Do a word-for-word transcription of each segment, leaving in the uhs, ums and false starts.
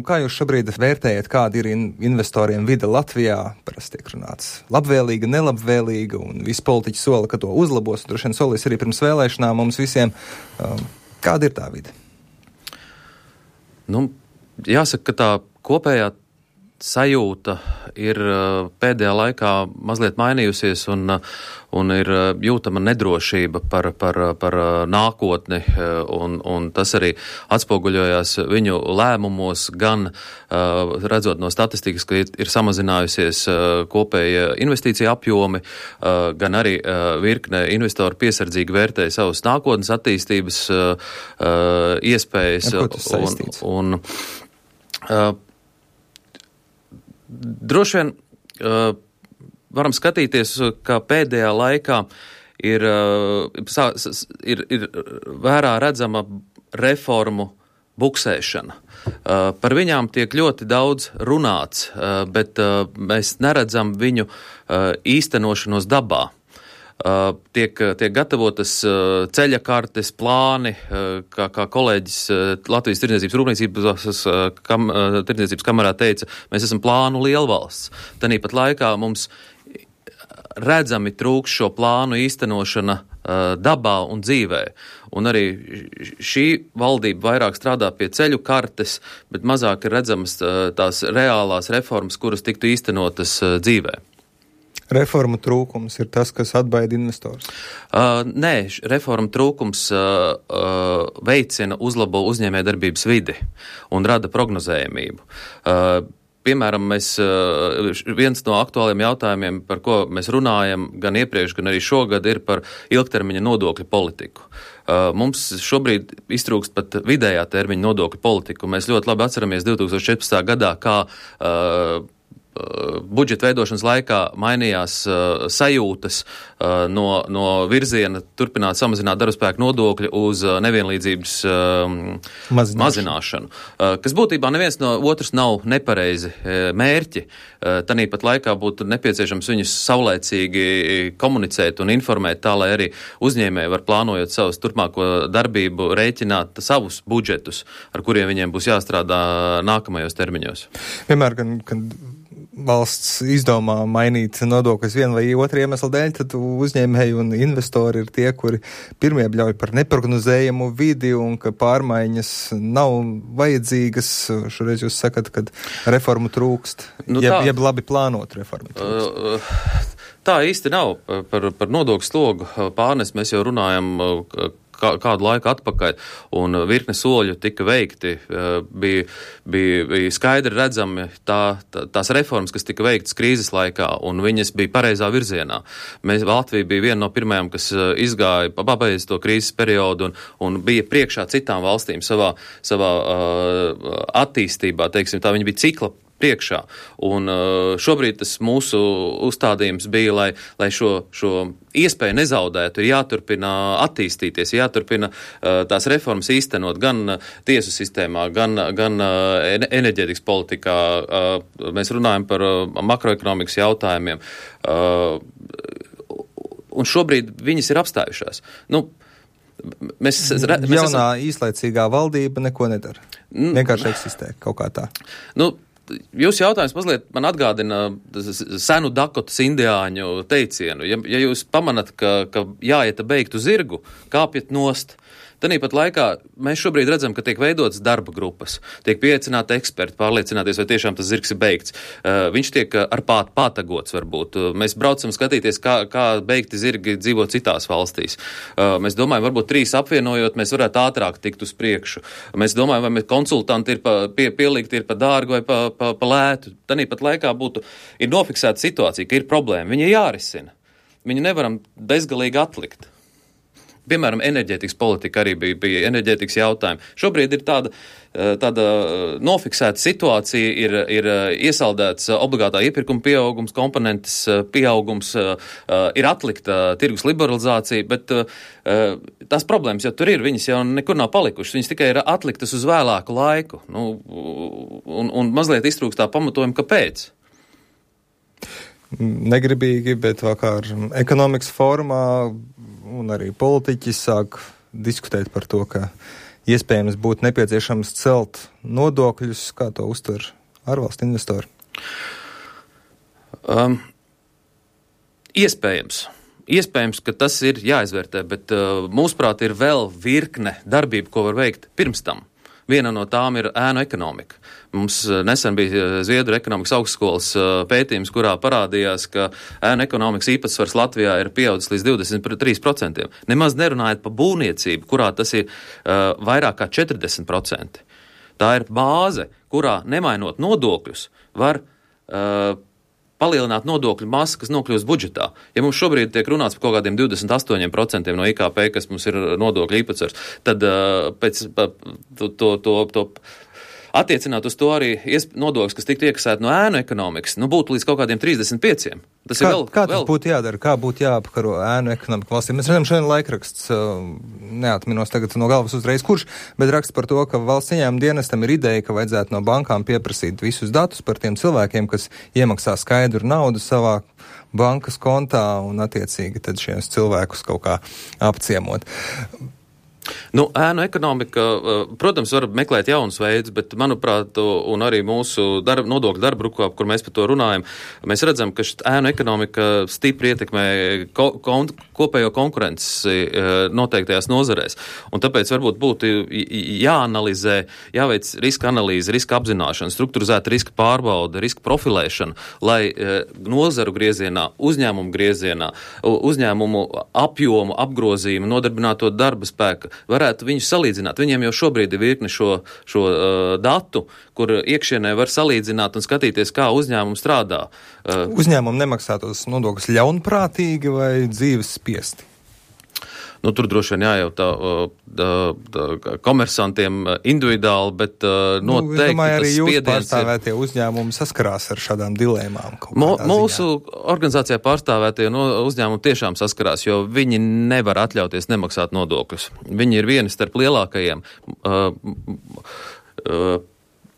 Kā jūs šobrīd vērtējat, kāda ir investoriem vide Latvijā? Parasti tiek runāts labvēlīga, nelabvēlīga, un visi politiķi sola, ka to uzlabos, un droši vien solīs arī pirms vēlēšanām mums visiem. Kāda ir tā vide? Nu, jāsaka, ka tā kopējā sajūta ir pēdējā laikā mazliet mainījusies un, un ir jūtama nedrošība par, par, par nākotni, un, un tas arī atspoguļojās viņu lēmumos, gan redzot no statistikas, ka ir samazinājusies kopēja investīcija apjomi, gan arī virkne investoru piesardzīgi vērtēja savas nākotnes attīstības iespējas. Ar ko tas saistīts? Un, un, Droši vien uh, varam skatīties, ka pēdējā laikā ir, uh, ir, ir vērā redzama reformu buksēšana. Uh, par viņām tiek ļoti daudz runāts, uh, bet uh, mēs neredzam viņu uh, īstenošanos dabā. Uh, tiek, tiek gatavotas uh, ceļa kartes, plāni, uh, kā, kā kolēģis uh, Latvijas tirdzniecības rūpniecības uh, kam, uh, tirdzniecības kamerā teica, mēs esam plānu lielvalsts. Tanīpat laikā mums redzami trūks šo plānu īstenošana uh, dabā un dzīvē. Un arī šī valdība vairāk strādā pie ceļu kartes, bet mazāk ir redzamas uh, tās reālās reformas, kuras tiktu īstenotas uh, dzīvē. Reformu trūkums ir tas, kas atbaida investors? Uh, nē, reformu trūkums uh, uh, veicina, uzlabo uzņēmējdarbības vidi un rada prognozējamību. Uh, Piemēram, mēs, viens no aktuāliem jautājumiem, par ko mēs runājam gan iepriekš, gan arī šogad, ir par ilgtermiņa nodokļu politiku. Mums šobrīd iztrūkst pat vidējā termiņa nodokļu politiku. Mēs ļoti labi atceramies divtūkstoš četrpadsmitā gadā, kā uh, budžeta veidošanas laikā mainījās uh, sajūtas uh, no, no virziena turpināt samazināt darbspēku nodokļu uz uh, nevienlīdzības uh, mazināšanu, mazināšanu uh, kas būtībā neviens no otrs nav nepareizi uh, mērķi. Uh, tanīpat laikā būtu nepieciešams viņus saulēcīgi komunicēt un informēt tā, lai arī uzņēmēji var plānojot savus turpmāko darbību rēķināt savus budžetus, ar kuriem viņiem būs jāstrādā nākamajos termiņos. Vienmēr, gan, kad valsts izdomā mainīt nodokļus vienu vai otru iemeslu dēļ, tad uzņēmēji un investori ir tie, kuri pirmie bļauj par neprognozējumu vidi un ka pārmaiņas nav vajadzīgas. Šoreiz jūs sakat, ka reformu trūkst, nu, jeb, jeb labi plānot reformu trūkst. Tā īsti nav. Par, par nodokļu slogu pārnes mēs jau runājam kā, kādu laiku atpakaļ, un virkne soļu tika veikti. Bija, bija, bija skaidri redzami tā, tā, tās reformas, kas tika veiktas krīzes laikā, un viņas bija pareizā virzienā. Mēs, Latvija bija viena no pirmajām, kas izgāja, pabeidz to krīzes periodu, un, un bija priekšā citām valstīm savā, savā uh, attīstībā, teiksim, tā viņa bija cikla priekšā. Un šobrīd tas mūsu uzstādījums bija, lai, lai šo, šo iespēju nezaudētu, ir jāturpina attīstīties, jāturpina tās reformas īstenot gan tiesu sistēmā, gan, gan enerģētikas politikā. Mēs runājam par makroekonomikas jautājumiem. Un šobrīd viņas ir apstājušās. Nu, Mēs, mēs Jaunā esam... īslaicīgā valdība neko nedara. Vienkārši eksistē kaut kā tā. Nu, Jūsu jautājums mazliet man atgādina senu Dakotas indiāņu teicienu. Ja, ja jūs pamanat, ka, ka jāieta beigtu zirgu, kāpjiet nost. Tanīpat laikā mēs šobrīd redzam, ka tiek veidotas darba grupas, tiek pieaicināti eksperti, pārliecināties, vai tiešām tas zirgs ir beigts. Uh, viņš tiek ar pāt, pātagots varbūt. Uh, mēs braucam skatīties, kā, kā beigti zirgi dzīvo citās valstīs. Uh, mēs domājam, varbūt trīs apvienojot, mēs varētu ātrāk tikt uz priekšu. Mēs domājam, vai mēs konsultanti ir pa, pie, pielikti ir pa dārgu vai pa, pa, pa lētu. Tanīpat laikā būtu, ir nofiksēta situācija, ka ir problēma. Viņa jārisina. Viņu nevaram bezgalīgi atlikt. Piemēram, enerģētikas politika arī bija, bija enerģētikas jautājumi. Šobrīd ir tāda, tāda nofiksēta situācija, ir, ir iesaldēts obligātā iepirkuma pieaugums, komponentes pieaugums, ir atlikta tirgus liberalizācija, bet tās problēmas jau tur ir, viņas jau nekur nav palikušas, viņas tikai ir atliktas uz vēlāku laiku, nu, un, un mazliet iztrūkst tā pamatojuma, kāpēc. Negribīgi, bet vakar ekonomikas formā un arī politiķi sāk diskutēt par to, ka iespējams būtu nepieciešams celt nodokļus, kā to uztver ārvalstu investori? Um, iespējams. Iespējams, ka tas ir jāizvērtē, bet uh, mūsuprāt ir vēl virkne darbību, ko var veikt pirms tam. Viena no tām ir ēnu ekonomika. Mums uh, nesen bija Zviedru ekonomikas augstskolas uh, pētījums, kurā parādījās, ka ēnu ekonomikas īpatsvars Latvijā ir pieaudzis līdz divdesmit trīs procentiem. Nemaz nerunājot par būvniecību, kurā tas ir uh, vairāk kā četrdesmit procenti. Tā ir bāze, kurā nemainot nodokļus var uh, palielināt nodokļu masu, kas nokļūst budžetā. Ja mums šobrīd tiek runāts par kaut kādiem divdesmit astoņiem procentiem no I K P, kas mums ir nodokļu īpatsvars, tad uh, pēc pa, to, to, to, to attiecināt uz to arī nodokļus, kas tiktu iekasēt no ēnu ekonomikas, nu būtu līdz kaut kādiem trīsdesmit pieciem. Tas kā, ir vēl, kā tas vēl... būtu jādara? Kā būtu jāapkaro ēnu ekonomiku valstī? Mēs redzam šodien laikraksts, neatminos tagad no galvas uzreiz kurš, bet raksts par to, ka valsts ieņēmuma dienestam ir ideja, ka vajadzētu no bankām pieprasīt visus datus par tiem cilvēkiem, kas iemaksā skaidru naudu savā bankas kontā un attiecīgi tad šies cilvēkus kaut kā apciemot. Nu, ēnu ekonomika, protams, var meklēt jaunus veidus, bet, manuprāt, un arī mūsu darba, nodokļu darba grupā, kur mēs par to runājam, mēs redzam, ka ēnu ekonomika stipri ietekmē ko, kon, kopējo konkurenci noteiktajās nozarēs. Un tāpēc varbūt būtu jāanalizē, jāveic riska analīze, riska apzināšana, strukturizēta riska pārbauda, riska profilēšana, lai nozaru griezienā, uzņēmumu griezienā, uzņēmumu apjomu, apgrozījumu, nodarbināto darba spēku varētu viņus salīdzināt. Viņiem jau šobrīd ir virkni šo, šo uh, datu, kur iekšienē var salīdzināt un skatīties, kā uzņēmumi strādā. Uh, Uzņēmumi nemaksā tos nodokļus ļaunprātīgi vai dzīves spiesti? Nu, tur droši vien jājautā uh, komersantiem individuāli, bet uh, noteikti nu, domāju, tas spiediens ir. Arī jūs pārstāvētie ir... uzņēmumi saskarās ar šādām dilēmām. Mo, mūsu organizācijā pārstāvētie no uzņēmumi tiešām saskarās, jo viņi nevar atļauties nemaksāt nodokļus. Viņi ir vieni starp lielākajiem. Uh, uh,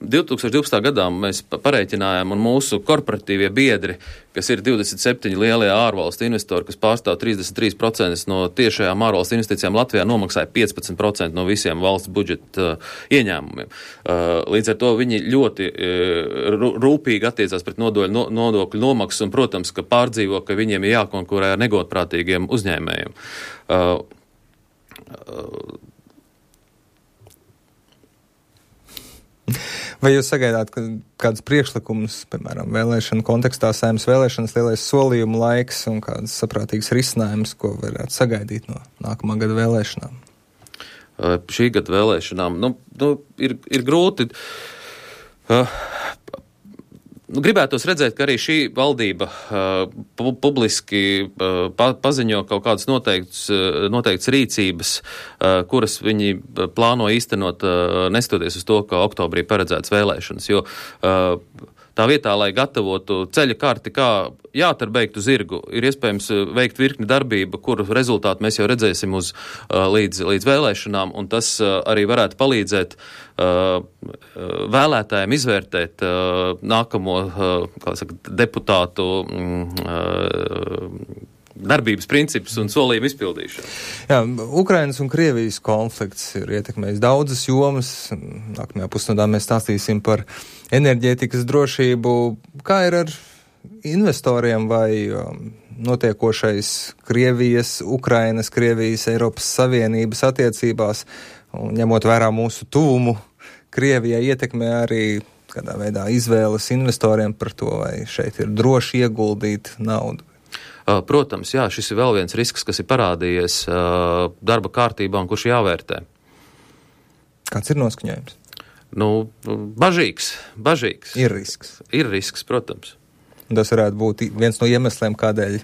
divi tūkstoši divpadsmitā gadā mēs pareiķinājām, un mūsu korporatīvie biedri, kas ir divdesmit septiņi lielie ārvalstu investori, kas pārstāv trīsdesmit trīs procenti no tiešajām ārvalstu investīcijām Latvijā, nomaksāja piecpadsmit procenti no visiem valsts budžeta uh, ieņēmumiem. Uh, līdz ar to viņi ļoti uh, rūpīgi attiecās pret nodokļu, no, nodokļu nomaksu, un, protams, ka pārdzīvo, ka viņiem ir jākonkurē ar negodprātīgiem uzņēmējiem. Uh, uh, Vai jūs sagaidāt ka kādus priekšlikumus, piemēram, vēlēšanu kontekstā, Saeimas vēlēšanas, lielais solījumu laiks un kādas saprātīgas risinājumus, ko varētu sagaidīt no nākamā gada vēlēšanām? Uh, šī gada vēlēšanām, nu, nu ir, ir grūti. Uh, Nu, gribētos redzēt, ka arī šī valdība uh, pu- publiski uh, pa- paziņo kaut kādas noteiktas, uh, noteiktas rīcības, uh, kuras viņi plāno īstenot, uh, nestoties uz to, ka oktobrī paredzētas vēlēšanas, jo uh, tā vietā, lai gatavotu ceļa karti, kā jātar beigtu zirgu, ir iespējams veikt virkni darbību, kuru rezultātu mēs jau redzēsim uz, uh, līdz, līdz vēlēšanām, un tas uh, arī varētu palīdzēt uh, vēlētājiem izvērtēt uh, nākamo uh, kā saka, deputātu uh, darbības principus un solījumu izpildīšanu. Jā, Ukrainas un Krievijas konflikts ir ietekmējis daudzas jomas. Nākamajā pusnodā mēs stāstīsim par enerģētikas drošību. Kā ir ar investoriem vai um, notiekošais Krievijas, Ukrainas, Krievijas, Eiropas Savienības attiecībās, un ņemot vērā mūsu tuvumu, Krievijai ietekmē arī kādā veidā izvēles investoriem par to, vai šeit ir droši ieguldīt naudu? Protams, jā, šis ir vēl viens risks, kas ir parādījies uh, darba kārtībā un kurš jāvērtē. Kāds ir noskaņojums? Nu, bažīgs, bažīgs. Ir risks. Ir risks, protams. Un tas varētu būt viens no iemesliem, kādēļ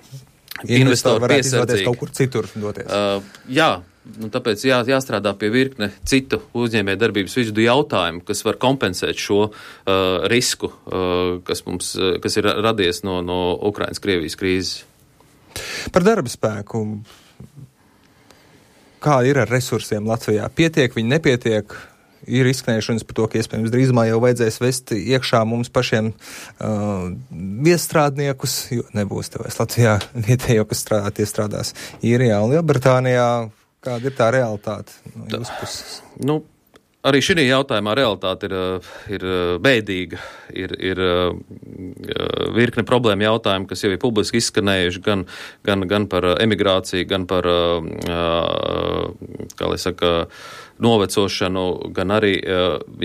investori varētu izvēlēties kaut kur citur doties. Uh, jā, nu, tāpēc jā, jāstrādā pie virkne citu uzņēmēju darbības vidu jautājumu, kas var kompensēt šo uh, risku, uh, kas mums, uh, kas ir radies no, no Ukrainas-Krievijas krīzes. Par darba spēku. Kā ir ar resursiem Latvijā? Pietiek, viņi nepietiek? Ir izskanējušas par to, ka iespējams drīzumā jau vajadzēs vest iekšā mums pašiem uh, viestrādniekus, jo nebūs te vairs Latvijā vietējo, kas strādā, tie strādās Īrijā un Lielbritānijā. Kāda ir tā realitāte no jūsu puses? Nu, arī šī jautājumā realitāte ir, ir bēdīga. Ir, ir virkne problēma jautājumi, kas jau ir publiski izskanējuši gan, gan, gan par emigrāciju, gan par, kā lai saka, novecošanu, gan arī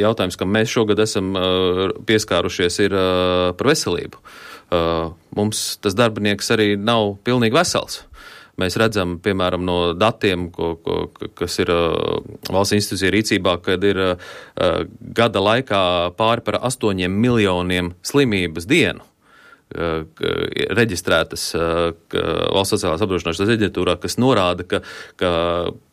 jautājums, kam mēs šogad esam pieskārušies, ir par veselību. Mums tas darbinieks arī nav pilnīgi vesels. Mēs redzam, piemēram, no datiem, ko, ko, kas ir uh, valsts institūcija rīcībā, kad ir uh, gada laikā pāri par astoņiem miljoniem slimības dienu uh, reģistrētas uh, valsts sociālās apdrošināšanas aģentūrā, kas norāda, ka, ka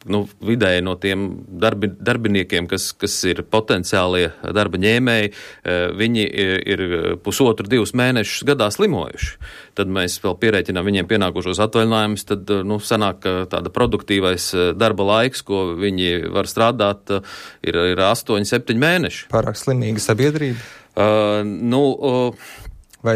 nu, vidēji no tiem darbi, darbiniekiem, kas, kas ir potenciālie darba ņēmēji, uh, viņi ir pusotru, divus mēnešus gadā slimojuši. Tad mēs vēl pierēķinām viņiem pienākušos atvaļinājumus, tad, nu, sanāk, ka tāda produktīvais darba laiks, ko viņi var strādāt, ir, ir astoņi, septiņi mēneši. Pārāk slimīga sabiedrība? Uh, nu, uh, Vai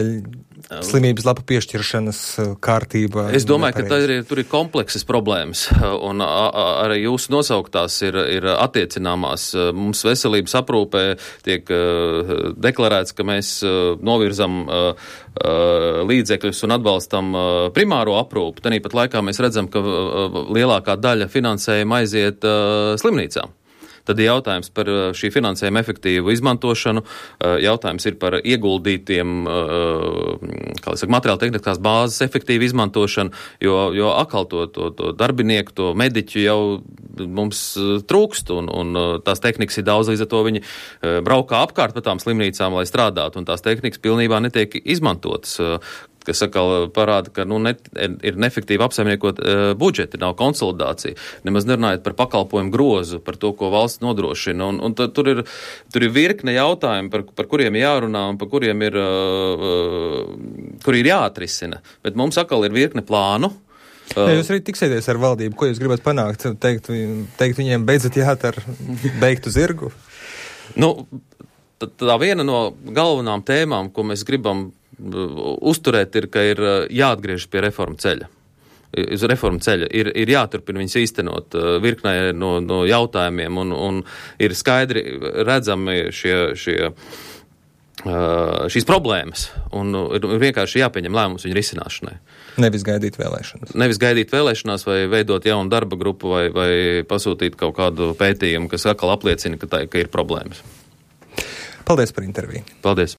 slimības lapu piešķiršanas kārtība? Es domāju, nepareiz. Ka tā ir, tur ir kompleksas problēmas, un a, a, arī jūsu nosauktās ir, ir attiecināmās. Mums veselības aprūpē tiek uh, deklarēts, ka mēs uh, novirzam uh, uh, līdzekļus un atbalstam uh, primāro aprūpu. Tanīpat laikā mēs redzam, ka uh, lielākā daļa finansējuma aiziet uh, slimnīcām. Tad ir jautājums par šī finansējuma efektīvu izmantošanu, jautājums ir par ieguldītiem, kā lai saka, materiāla tehniskās bāzes efektīvu izmantošanu, jo, jo atkal to, to, to darbinieku, to mediķu jau mums trūkst, un, un tās tehnikas ir daudz, līdz ar to viņi braukā apkārt pa tām slimnīcām, lai strādātu, un tās tehnikas pilnībā netiek izmantotas, kas atkal parāda, ka nu, ne, ir neefektīvi apsaimniekot uh, budžeti, nav konsolidācija. Nemaz nerunājot par pakalpojumu grozu, par to, ko valsts nodrošina. Un, un tad, tur, ir, tur ir virkne jautājumu, par, par kuriem jārunā un par kuriem ir, uh, uh, kur ir jāatrisina. Bet mums atkal ir virkne plānu. Uh, ja jūs arī tiksieties ar valdību, ko jūs gribat panākt? Teikt, teikt viņiem, beidzat jāt ar beigtu zirgu? Nu, tā viena no galvenām tēmām, ko mēs gribam uzturēt, ir, ka ir jāatgriežas pie reformu ceļa. Uz reformu ceļa ir, ir jāturpina viņas īstenot virknē no, no jautājumiem, un, un ir skaidri redzami šie, šie, šīs problēmas, un ir vienkārši jāpieņem lēmums viņu risināšanai. Nevis gaidīt vēlēšanas. Nevis gaidīt vēlēšanās vai veidot jaunu darba grupu vai, vai pasūtīt kaut kādu pētījumu, kas atkal apliecina, ka, tā, ka ir problēmas. Paldies par interviju. Paldies.